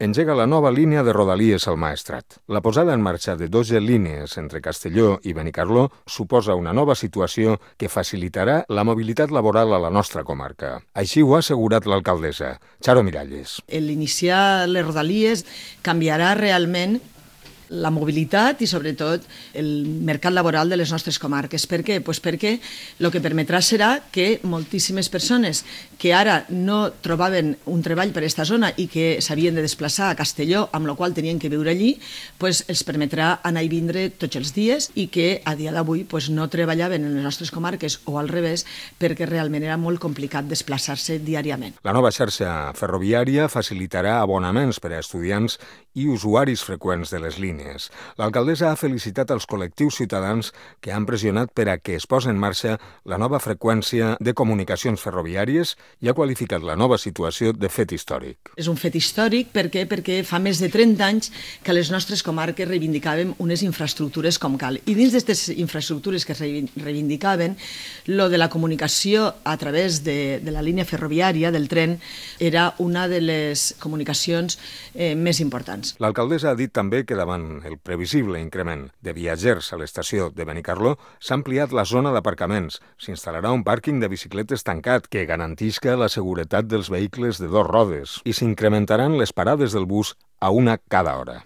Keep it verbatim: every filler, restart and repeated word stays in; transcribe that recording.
engega la nova línia de Rodalies al Maestrat. La posada en marxa de dotze línies entre Castelló i Benicarló suposa una nova situació que facilitarà la mobilitat laboral a la nostra comarca. Així ho ha assegurat l'alcaldessa, Charo Miralles. L'iniciar les Rodalies canviarà realment la mobilitat i, sobretot, el mercat laboral de les nostres comarques. Per què? Pues perquè el que permetrà serà que moltíssimes persones que ara no trobaven un treball per aquesta zona i que s'havien de desplaçar a Castelló, amb la qual tenien que viure allí, pues els permetrà anar i vindre tots els dies i que a dia d'avui pues, no treballaven en les nostres comarques o al revés perquè realment era molt complicat desplaçar-se diàriament. La nova xarxa ferroviària facilitarà abonaments per a estudiants i usuaris freqüents de les línies. L'alcaldessa ha felicitat els col·lectius ciutadans que han pressionat per a que es posi en marxa la nova freqüència de comunicacions ferroviàries i ha qualificat la nova situació de fet històric. És un fet històric per què? Perquè fa més de trenta anys que les nostres comarques reivindicàvem unes infraestructures com cal. I dins d'aquestes infraestructures que reivindicaven, lo de la comunicació a través de, de la línia ferroviària, del tren, era una de les comunicacions eh, més importants. L'alcaldessa ha dit també que davant el previsible increment de viatgers a l'estació de Benicarló s'ha ampliat la zona d'aparcaments. S'instal·larà un pàrquing de bicicletes tancat que garantisca la seguretat dels vehicles de dos rodes i s'incrementaran les parades del bus a una cada hora.